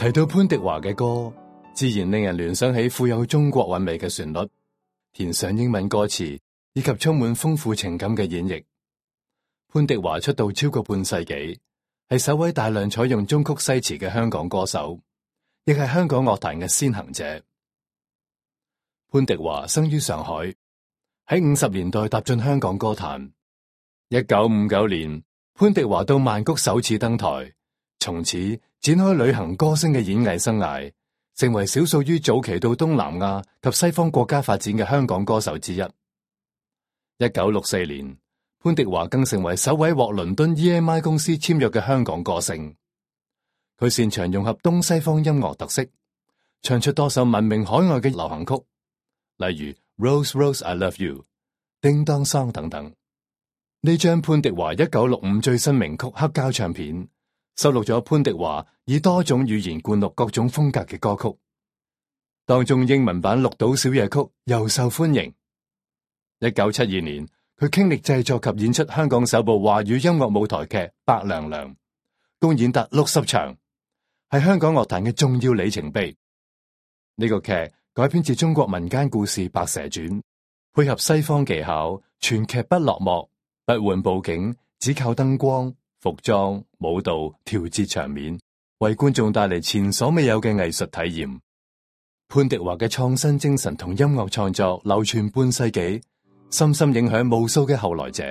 提到潘迪華嘅歌，自然令人聯想起富有中國韻味嘅旋律，填上英文歌詞，以及充滿豐富情感嘅演繹。潘迪華出道超過半世紀，係首位大量採用中曲西詞嘅香港歌手，亦係香港樂壇嘅先行者。潘迪華生於上海，喺50年代踏進香港歌壇。1959年，潘迪華到曼谷首次登台，從此展開旅行歌星嘅演藝生涯，成為少數於早期到東南亞及西方國家發展嘅香港歌手之一。1964年，潘迪華更成為首位獲倫敦 EMI 公司簽約嘅香港歌星。佢擅長融合東西方音樂特色，唱出多首聞名海外嘅流行曲，例如 Rose Rose I Love You、叮當桑等等。呢張潘迪華1965最新名曲黑膠唱片，收錄咗潘迪華以多種語言灌錄各種風格嘅歌曲，當中英文版綠島小夜曲又受歡迎。1972年，佢傾力製作及演出香港首部華語音樂舞台劇《白娘娘》，共演達60場，係香港樂壇嘅重要里程碑。呢個劇改編自中國民間故事《白蛇傳》，配合西方技巧，全劇不落幕，不換布景，只靠燈光、服裝、舞蹈調節場面，為觀眾帶嚟前所未有嘅藝術體驗。潘迪華嘅創新精神同音樂創作流傳半世紀，深深影響無數嘅後來者。